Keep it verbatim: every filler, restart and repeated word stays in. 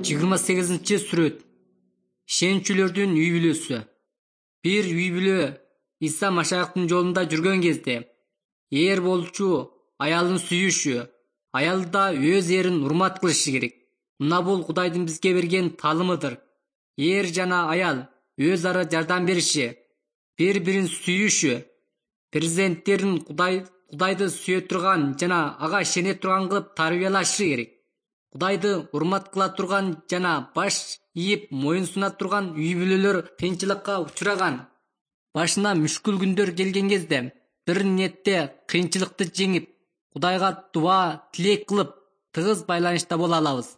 жыйырма сегизинчи сүрөт. Ишенчүлөрдүн үй бүлөсү. Бир үй бүлө Иса Машаяктын жолунда жүргөн кезде эр болчу аялын сүйүшү, аял да өз эрин урмат кылышы керек. Мына бул Кудайдын бизге берген таалымыдыр. Эр жана аял өз ара жардам бериши, бири-бирин сүйүшү, перзенттерин Кудай Кудайды сүйө турган жана ага ишене турган кылып тарбиялашы керек. Кудайды урмат кыла турган жана баш ийип моюн суна турган үй бүлөлөр кыйынчылыкка учураган. Башына мүшкүл күндөр келген кезде бир ниетте кыйынчылыкты жеңип, Кудайга дуа, тилек кылып, тыгыз байланышта боло алабыз.